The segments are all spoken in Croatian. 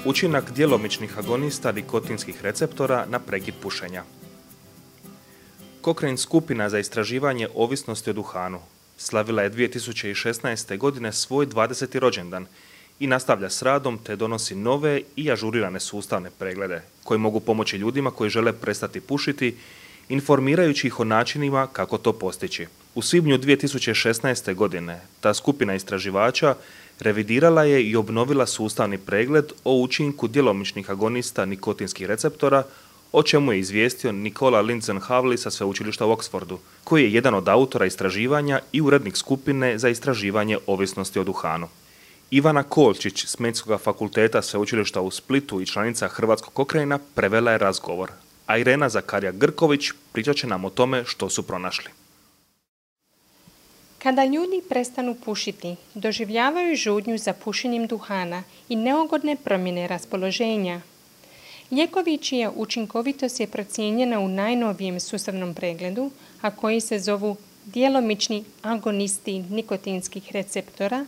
Učinak djelomičnih agonista nikotinskih receptora na prekid pušenja. Cochrane skupina za istraživanje ovisnosti o duhanu slavila je 2016. godine svoj 20. rođendan i nastavlja s radom te donosi nove i ažurirane sustavne preglede koji mogu pomoći ljudima koji žele prestati pušiti, informirajući ih o načinima kako to postići. U svibnju 2016. godine ta skupina istraživača revidirala je i obnovila sustavni pregled o učinku djelomičnih agonista nikotinskih receptora, o čemu je izvijestio Nicola Lindzen-Havli sa sveučilišta u Oxfordu, koji je jedan od autora istraživanja i urednik skupine za istraživanje ovisnosti o duhanu. Ivana Kolčić s Medicinskog fakulteta sveučilišta u Splitu i članica Hrvatskog Cochrana prevela je razgovor, a Irena Zakarija Grković pričat će nam o tome što su pronašli. Kada ljudi prestanu pušiti, doživljavaju žudnju za pušenjem duhana i neugodne promjene raspoloženja. Lijekovi čija učinkovitost je procijenjena u najnovijem sustavnom pregledu, a koji se zovu djelomični agonisti nikotinskih receptora,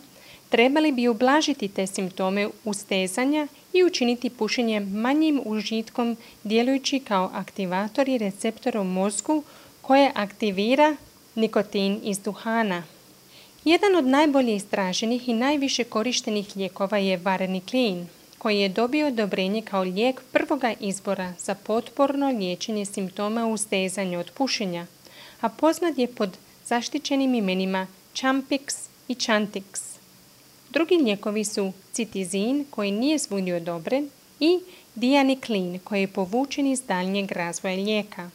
trebali bi ublažiti te simptome ustezanja i učiniti pušenje manjim užitkom djelujući kao aktivatori receptora u mozgu koje aktivira nikotin iz duhana. Jedan od najbolje istraženih i najviše korištenih lijekova je Varenicline, koji je dobio odobrenje kao lijek prvoga izbora za potporno liječenje simptoma ustezanja od pušenja, a poznat je pod zaštićenim imenima Champix i Chantix. Drugi lijekovi su Citizin, koji nije svugdje odobren, i Dianicline, koji je povučen iz daljnjeg razvoja lijeka.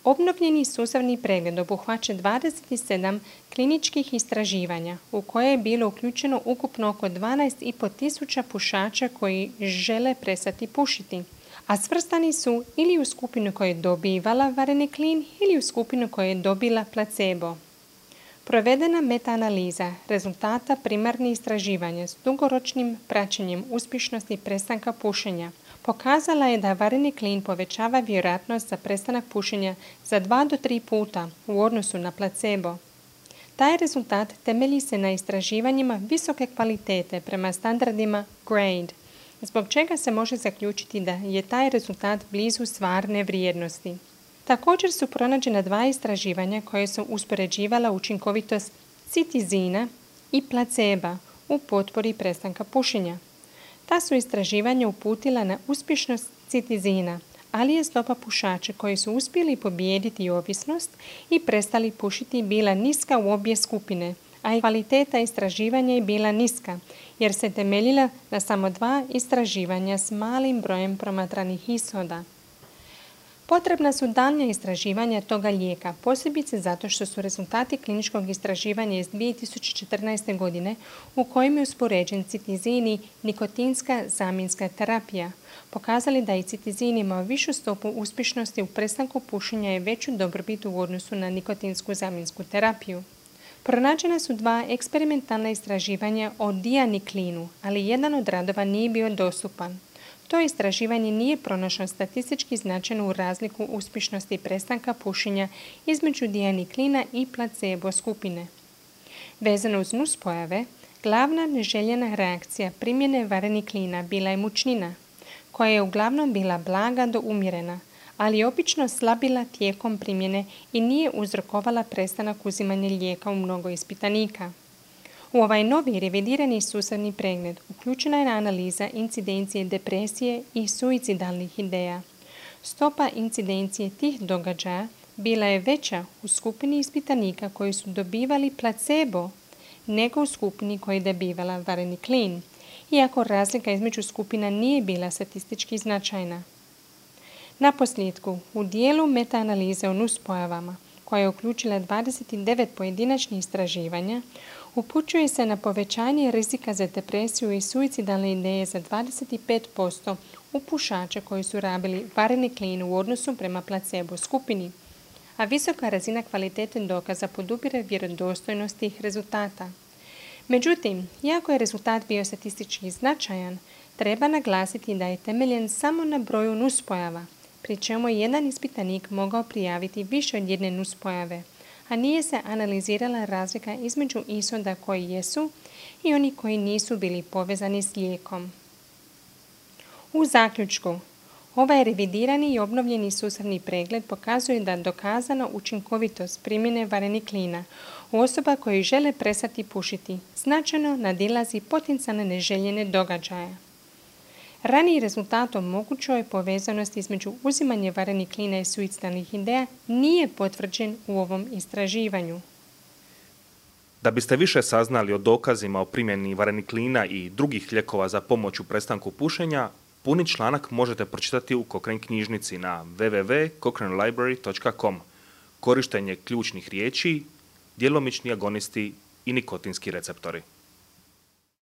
Obnovljeni sustavni pregled obuhvaća 27 kliničkih istraživanja u koje je bilo uključeno ukupno oko 12.500 pušača koji žele prestati pušiti, a svrstani su ili u skupinu koja je dobivala Varenicline ili u skupinu koja je dobila placebo. Provedena metaanaliza rezultata primarnih istraživanja s dugoročnim praćenjem uspješnosti prestanka pušenja pokazala je da Varenicline povećava vjerojatnost za prestanak pušenja za 2 do 3 puta u odnosu na placebo. Taj rezultat temelji se na istraživanjima visoke kvalitete prema standardima GRADE, zbog čega se može zaključiti da je taj rezultat blizu stvarne vrijednosti. Također su pronađena 2 istraživanja koje su uspoređivala učinkovitost Citizina i placeba u potpori prestanka pušenja. Ta su istraživanja uputila na uspješnost Citizina, ali je stopa pušača koji su uspjeli pobijediti ovisnost i prestali pušiti bila niska u obje skupine, a i kvaliteta istraživanja je bila niska, jer se temeljila na samo 2 istraživanja s malim brojem promatranih ishoda. Potrebna su daljnja istraživanja toga lijeka, posebice zato što su rezultati kliničkog istraživanja iz 2014. godine u kojem je uspoređen Citizin i nikotinska zamjenska terapija, pokazali da i Citizin ima višu stopu uspješnosti u prestanku pušenja i veću dobrobit u odnosu na nikotinsku zamjensku terapiju. Pronađena su 2 eksperimentalna istraživanja o Dianiclinu, ali jedan od radova nije bio dostupan. To istraživanje nije pronašlo statistički značajnu razliku uspješnosti prestanka pušenja između Dianiclina i placebo skupine. Vezano uz nuspojave, glavna neželjena reakcija primjene Vareniclina bila je mučnina, koja je uglavnom bila blaga do umjerena, ali je obično slabila tijekom primjene i nije uzrokovala prestanak uzimanja lijeka u mnogo ispitanika. U ovaj novi revidirani sustavni pregled uključena je analiza incidencije depresije i suicidalnih ideja. Stopa incidencije tih događaja bila je veća u skupini ispitanika koji su dobivali placebo nego u skupini koja je dobivala Varenicline, iako razlika između skupina nije bila statistički značajna. Naposljetku, u dijelu metaanalize o nuspojavama, koja je uključila 29 pojedinačnih istraživanja, upućuje se na povećanje rizika za depresiju i suicidalne ideje za 25% u pušača koji su rabili Varenicline u odnosu prema placebo skupini, a visoka razina kvalitete dokaza podupire vjerodostojnost tih rezultata. Međutim, iako je rezultat bio statistički značajan, treba naglasiti da je temeljen samo na broju nuspojava, pri čemu je jedan ispitanik mogao prijaviti više od jedne nuspojave, a nije se analizirala razlika između ishoda koji jesu i oni koji nisu bili povezani s lijekom. U zaključku, ovaj revidirani i obnovljeni sustavni pregled pokazuje da dokazana učinkovitost primjene vareniklina u osoba koji žele prestati pušiti značajno nadilazi potencijalne neželjene događaje. Raniji rezultat o mogućoj povezanosti između uzimanja vareniklina i suicidalnih ideja nije potvrđen u ovom istraživanju. Da biste više saznali o dokazima o primjeni vareniklina i drugih lijekova za pomoć u prestanku pušenja, puni članak možete pročitati u Cochrane knjižnici na www.cochranelibrary.com. Korištenje ključnih riječi, djelomični agonisti i nikotinski receptori.